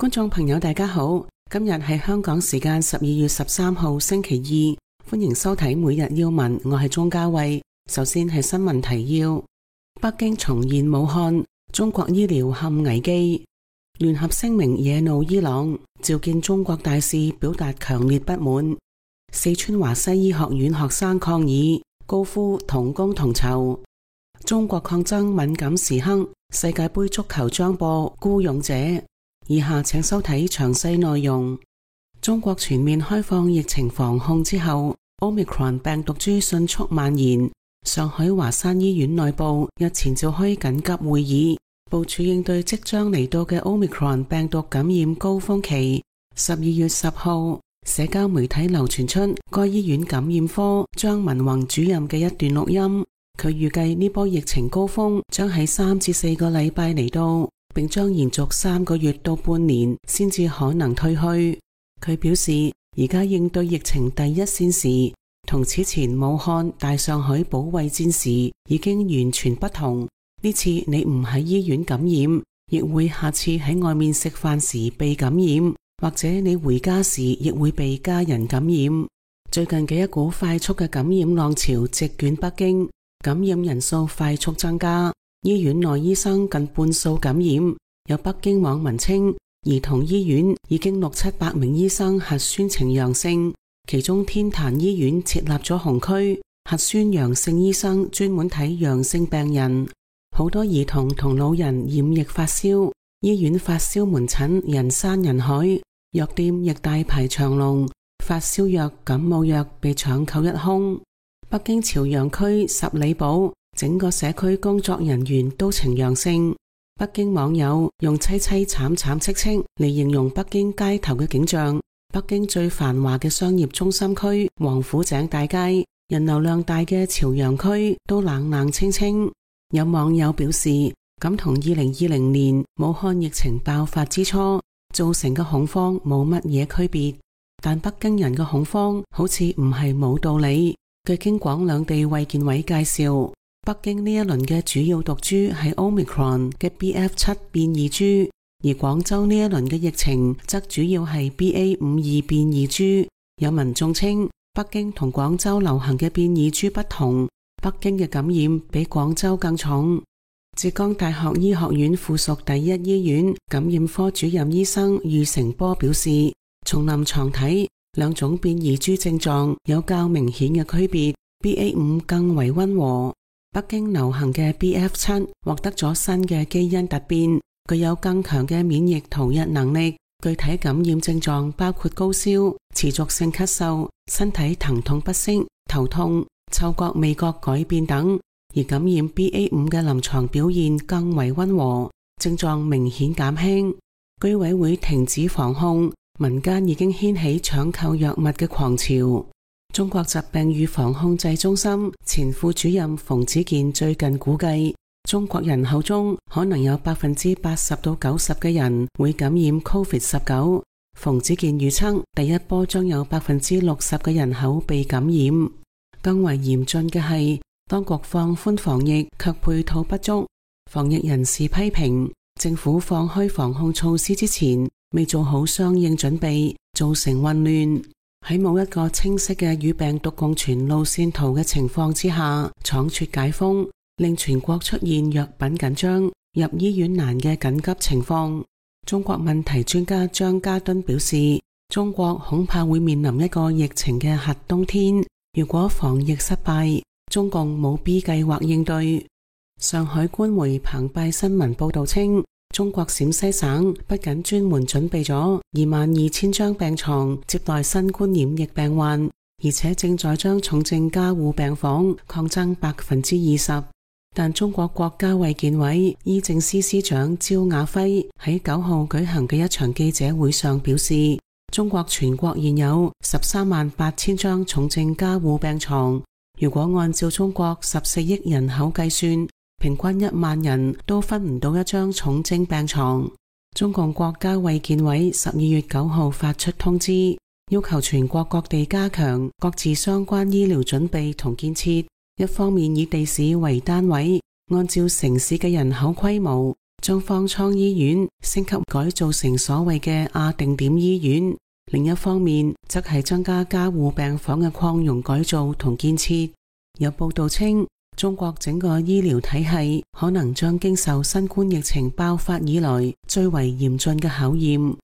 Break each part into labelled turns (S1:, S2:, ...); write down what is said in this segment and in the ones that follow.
S1: 觀眾朋友大家好，今日係香港時間12月13號星期二，歡迎收睇每日要聞，我係鍾嘉慧。首先係新聞提要：北京重現武漢，中國醫療陷危機；聯合聲明惹怒伊朗，召見中國大使表達強烈不滿；四川華西醫學院學生抗議，高呼同工同酬；中國抗爭敏感時刻，世界盃足球將播孤勇者。以下請收睇詳細內容。中國全面開放疫情防控之後，Omicron 病毒株迅速蔓延。上海華山醫院內部日前召開緊急會議，部署應對即將嚟到嘅 Omicron 病毒感染高峰期。12月10號，社交媒體流傳出該醫院感染科張文宏主任嘅一段錄音，佢預計呢波疫情高峰將喺3至4個禮拜嚟到，並將延續3個月到半年先至可能退去。佢表示，而家應對疫情第一線時，同此前武漢、大上海保衛戰時已經完全不同。呢次你唔喺醫院感染，亦會下次喺外面食飯時被感染，或者你回家時亦會被家人感染。最近嘅一股快速嘅感染浪潮席捲北京，感染人數快速增加。醫院內醫生近半數感染，有北京網民稱，兒童醫院已經600-700名醫生核酸呈陽性，其中天壇醫院設立咗紅區，核酸陽性醫生專門睇陽性病人。好多兒童同老人染疫發燒，醫院發燒門診人山人海，藥店亦大排長龍，發燒藥、感冒藥被搶購一空。北京朝陽區十里堡整個社區工作人員都呈陽性。北京網友用凄凄慘慘戚戚嚟形容北京街頭嘅景象。北京最繁華嘅商業中心區王府井大街，人流量大嘅朝陽區都冷冷清清。有網友表示，咁同2020年武漢疫情爆發之初造成嘅恐慌冇乜嘢區別，但北京人嘅恐慌好似唔係冇道理。據京廣兩地衛健委介紹，北京呢一輪嘅主要毒株係 Omicron 嘅 BF7 變異株，而廣州呢一輪嘅疫情則主要係 BA52 變異株。有民眾稱，北京同廣州流行嘅變異株不同，北京嘅感染比廣州更重。浙江大學醫學院附屬第一醫院感染科主任醫生俞成波表示，從臨床睇，兩種變異株症狀有較明顯嘅區別， BA5 更為溫和。北京流行嘅 BF7 獲得咗新嘅基因突變，具有更強嘅免疫逃逸能力。具體感染症狀包括高燒、持續性咳嗽、身體疼痛不適、頭痛、嗅覺味覺改變等。而感染 BA5 嘅臨床表現更為溫和，症狀明顯減輕。居委會停止防控，民間已經掀起搶購藥物嘅狂潮。中國疾病預防控制中心前副主任馮子健最近估計，中國人口中可能有80%到90%嘅人會感染 COVID-19。馮子健預測，第一波將有60%嘅人口被感染。更為嚴峻嘅係，當局放寬防疫卻配套不足。防疫人士批評，政府放開防控措施之前未做好相應準備，造成混亂。喺冇一個清晰嘅與病毒共存路線圖嘅情況之下，倉促解封，令全國出現藥品緊張、入醫院難嘅緊急情況。中國問題專家張家敦表示，中國恐怕會面臨一個疫情嘅核冬天。如果防疫失敗，中共冇 B 計劃應對。上海官媒澎湃新聞報道稱，中國陝西省不僅專門準備咗22,000張病床接待新冠染疫病患，而且正在將重症加護病房擴增20%。但中國國家衛健委醫政司司長焦雅輝喺9號舉行嘅一場記者會上表示，中國全國現有138000張重症加護病床，如果按照中國14億人口計算，平均1萬人都分唔到一張重症病床。中共國家衛健委12月9號發出通知，要求全國各地加強各自相關醫療準備同建設。一方面以地市為單位，按照城市嘅人口規模，將方艙醫院升級改造成所謂嘅亞定點醫院，另一方面則係增加加護病房嘅擴容改造同建設。有報道稱，中國整個醫療體系可能將經受新冠疫情爆發以來最為嚴峻嘅考驗。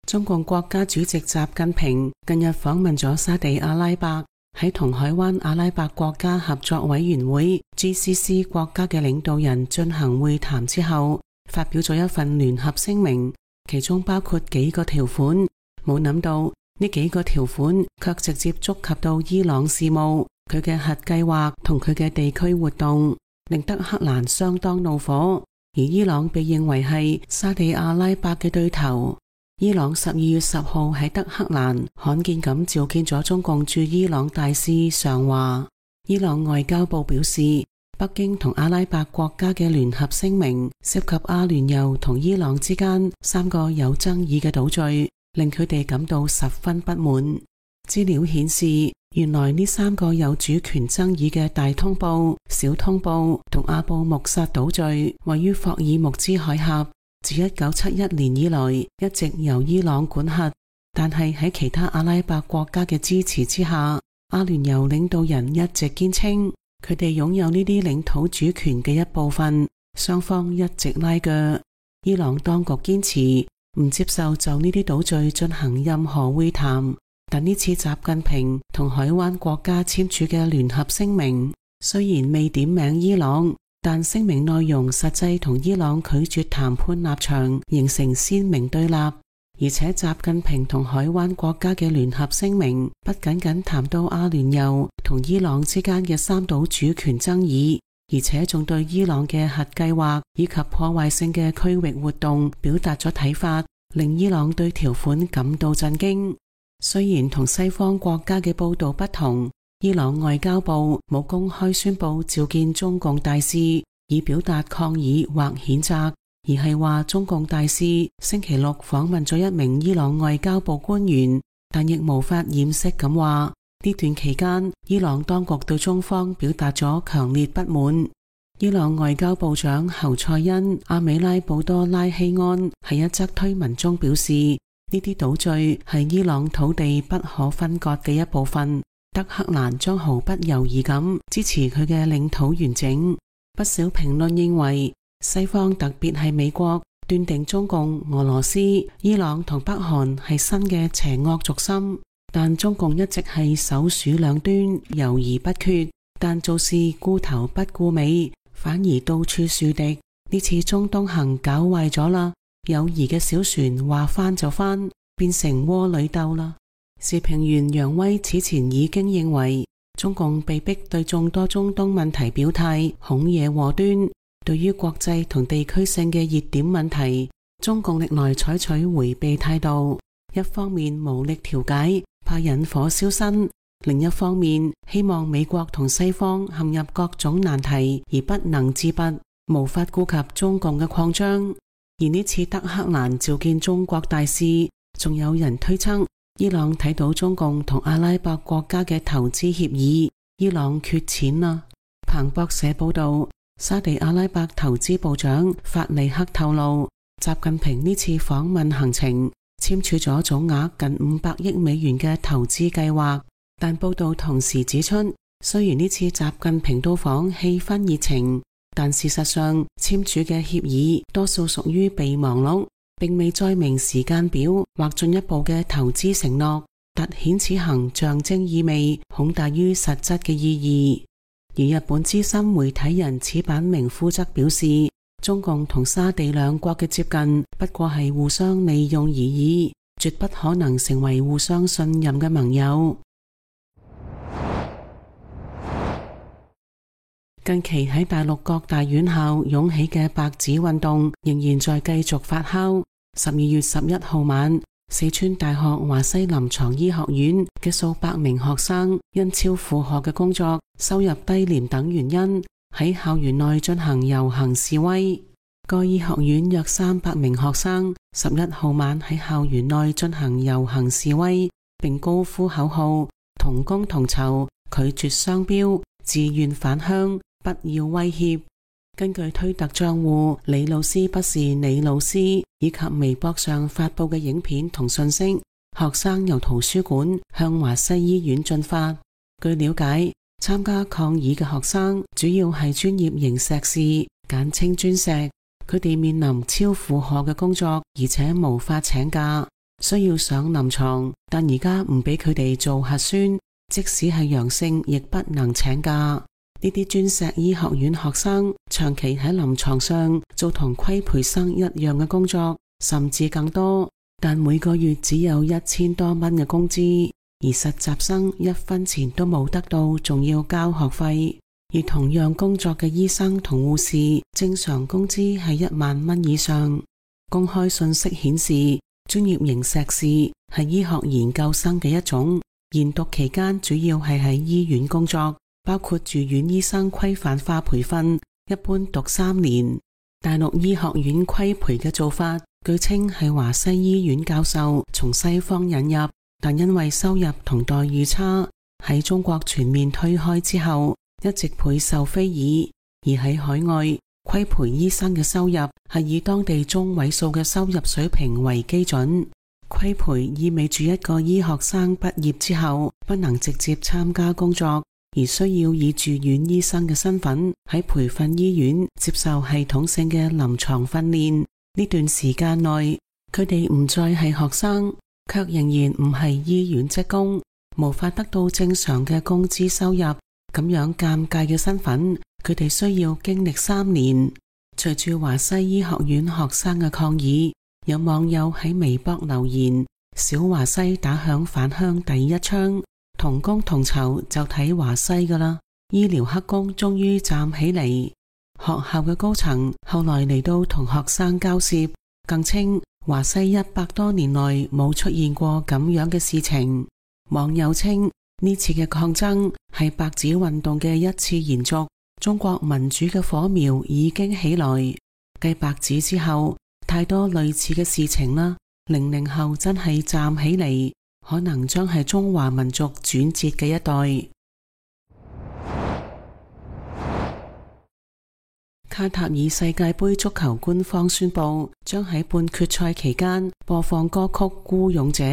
S1: 中共國家主席習近平近日訪問咗沙地阿拉伯，喺同海灣阿拉伯國家合作委員會 GCC 國家嘅領導人進行會談之後，發表咗一份聯合聲明，其中包括幾個條款。冇諗到呢幾個條款卻直接觸及到伊朗事務，佢嘅核計劃同佢嘅地區活動，令德黑蘭相當怒火。而伊朗被認為係沙地阿拉伯嘅對頭。伊朗12月10號喺德黑蘭罕見咁召見咗中共駐伊朗大使常華。伊朗外交部表示，北京同阿拉伯國家嘅聯合聲明涉及阿聯酋同伊朗之間3個有爭議嘅島嶼，令佢哋感到十分不滿。資料顯示，原來呢3個有主權爭議嘅大通布、小通布同阿布穆薩島嶼位於霍爾木茲海峽，自1971年以來一直由伊朗管轄，但係喺其他阿拉伯國家嘅支持之下，阿聯酋領導人一直堅稱佢哋擁有呢啲領土主權嘅一部分，雙方一直拉鋸。伊朗當局堅持唔接受就呢啲島嶼進行任何會談，但呢次習近平同海灣國家簽署嘅聯合聲明雖然未點名伊朗，但聲明內容實際同伊朗拒絕談判立場形成鮮明對立。而且習近平同海灣國家嘅聯合聲明不僅僅談到阿聯酋同伊朗之間嘅3島主權爭議，而且仲對伊朗嘅核計劃以及破壞性嘅區域活動表達咗睇法，令伊朗對條款感到震驚。雖然同西方國家嘅報道不同，伊朗外交部冇公開宣布召見中共大使以表達抗議或譴責，而係話中共大使星期六訪問咗一名伊朗外交部官員，但亦無法掩飾咁話呢段期間伊朗當局對中方表達咗強烈不滿。伊朗外交部長侯賽因阿美拉布多拉希安喺一則推文中表示，呢啲島嶼係伊朗土地不可分割嘅一部分，德黑蘭將毫不猶豫咁支持佢嘅領土完整。不少評論認為，西方特別係美國斷定中共、俄羅斯、伊朗同北韓係新嘅邪惡軸心，但中共一直係首鼠兩端，猶豫不決，但做事顧頭不顧尾，反而到處樹敵。呢次中東行搞壞咗啦，友誼嘅小船話翻就翻，變成窩裏鬥啦。時評員楊威此前已經認為，中共被逼對眾多中東問題表態，恐惹禍端。對於國際同地區性嘅熱點問題，中共歷來採取迴避態度，一方面無力調解，怕引火燒身，另一方面希望美國同西方陷入各種難題而不能自拔，無法顧及中共嘅擴張。而呢次德黑蘭召見中國大使，仲有人推測伊朗睇到中共同阿拉伯國家嘅投資協議，伊朗缺錢啦。彭博社報道，沙地阿拉伯投資部長法利克透露，習近平呢次訪問行程簽署咗總額近500億美元嘅投資計劃，但報道同時指出，雖然呢次習近平到訪氣氛熱情，但事實上簽署嘅協議多數屬於備忘錄，並未載明時間表或進一步嘅投資承諾，凸顯此行象徵意味恐大於實質嘅意義。而日本資深媒體人矢板明夫則表示，中共同沙地兩國嘅接近不過係互相利用而已，絕不可能成為互相信任嘅盟友。近期喺大陸各大院校湧起嘅白紙運動仍然在繼續發酵。12月11號晚，四川大學華西臨床醫學院嘅數百名學生因超負荷嘅工作、收入低廉等原因，喺校園內進行遊行示威。該醫學院約300名學生11號晚喺校園內進行遊行示威，並高呼口號：同工同酬、拒絕雙標、自願返鄉、不要威脅。根據推特賬戶李老師不是李老師以及微博上發佈嘅影片同信息，學生由圖書館向華西醫院進發。據了解，參加抗議嘅學生主要係專業型碩士，簡稱專碩。佢哋面臨超負荷嘅工作，而且無法請假，需要上臨床，但而家唔俾佢哋做核酸，即使係陽性亦不能請假。呢啲專碩醫學院學生長期喺臨床上做同規培生一樣嘅工作，甚至更多，但每個月只有1000多蚊嘅工資，而實習生1分錢都冇得到，仲要交學費。而同樣工作嘅醫生同護士，正常工資係1萬蚊以上。公開信息顯示，專業型碩士係醫學研究生嘅一種，研讀期間主要係喺醫院工作，包括住院醫生規範化培訓，一般讀3年。大陸醫學院規培嘅做法，據稱係華西醫院教授從西方引入，但因為收入同待遇差，喺中國全面推開之後，一直倍受非議。而喺海外，規培醫生嘅收入係以當地中位數嘅收入水平為基準。規培意味住一個醫學生畢業之後不能直接參加工作，而需要以住院醫生嘅身份喺培訓醫院接受系統性嘅臨床訓練。呢段時間內，佢哋唔再係學生，卻仍然唔係醫院職工，無法得到正常嘅工資收入。咁樣尷尬嘅身份，佢哋需要經歷3年。隨住華西醫學院學生嘅抗議，有網友喺微博留言：小華西打響返鄉第一槍，同工同酬就睇華西㗎喇。醫療黑工終於站起嚟。學校嘅高層後來嚟到同學生交涉，更稱華西100多年來冇出現過咁樣嘅事情。網友稱，呢次嘅抗爭係白紙運動嘅一次延續，中國民主嘅火苗已經起來。繼白紙之後，太多類似嘅事情啦。00後真係站起嚟，可能將係中華民族轉折嘅一代。卡塔爾世界盃足球官方宣布，將喺半決賽期間播放歌曲《孤勇者》，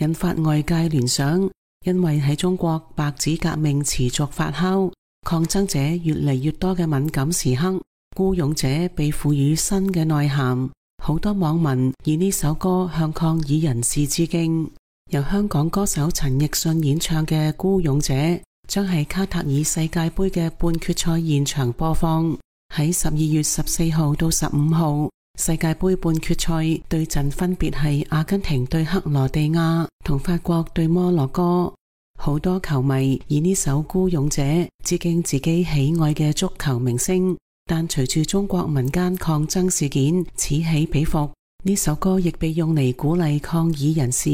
S1: 引發外界聯想。因為喺中國白紙革命持續發酵，抗爭者越嚟越多嘅敏感時刻，孤勇者被賦予新嘅內涵。好多網民以呢首歌向抗議人士致敬。由香港歌手陳奕迅演唱嘅《孤勇者》將喺卡塔爾世界盃嘅半決賽現場播放。喺12月14號到15號，世界盃半決賽對陣分別係阿根廷對克羅地亞同法國對摩洛哥。好多球迷以呢首《孤勇者》致敬自己喜愛嘅足球明星，但隨住中國民間抗爭事件此起彼伏，呢首歌亦被用嚟鼓勵抗議人士，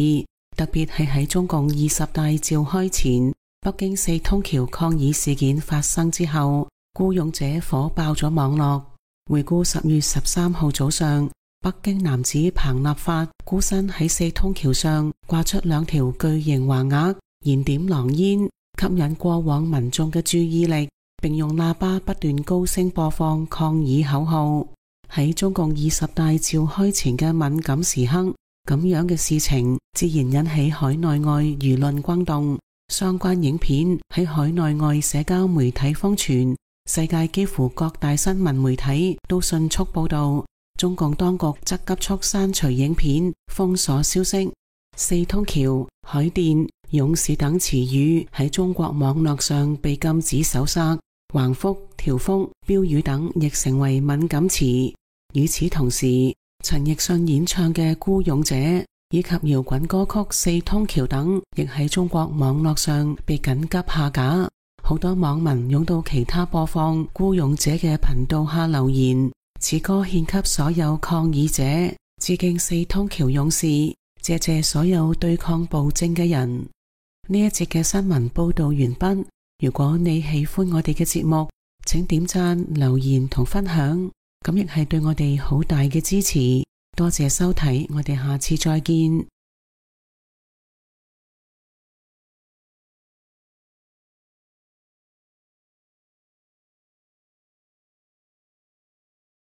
S1: 特別係喺中共20大召開前，北京4通橋抗議事件發生之後，《孤勇者》火爆咗網絡。回顧10月13號早上，北京男子彭立發孤身喺4通橋上掛出2條巨型橫額，燃點狼煙，吸引過往民眾嘅注意力，並用喇叭不斷高聲播放抗議口號。喺中共20大召開前嘅敏感時刻，咁樣嘅事情自然引起海內外輿論轟動，相關影片喺海內外社交媒體瘋傳，世界幾乎各大新聞媒體都迅速報道，中共當局則急速刪除影片，封鎖消息。4通橋、海淀、勇士等詞語喺中國網絡上被禁止搜索，橫幅、條幅、標語等亦成為敏感詞。與此同時，陳奕迅演唱嘅《孤勇者》以及搖滾歌曲《4通橋》等亦喺中國網絡上被緊急下架。好多網民湧到其他播放《孤勇者》嘅頻道下留言，此歌獻給所有抗議者，致敬4通橋勇士，謝謝所有對抗暴政嘅人。呢一節嘅新聞報道完畢。如果你喜歡我哋嘅節目，請點讚、留言同分享，咁亦係對我哋好大嘅支持。多謝收睇，我哋下次再見。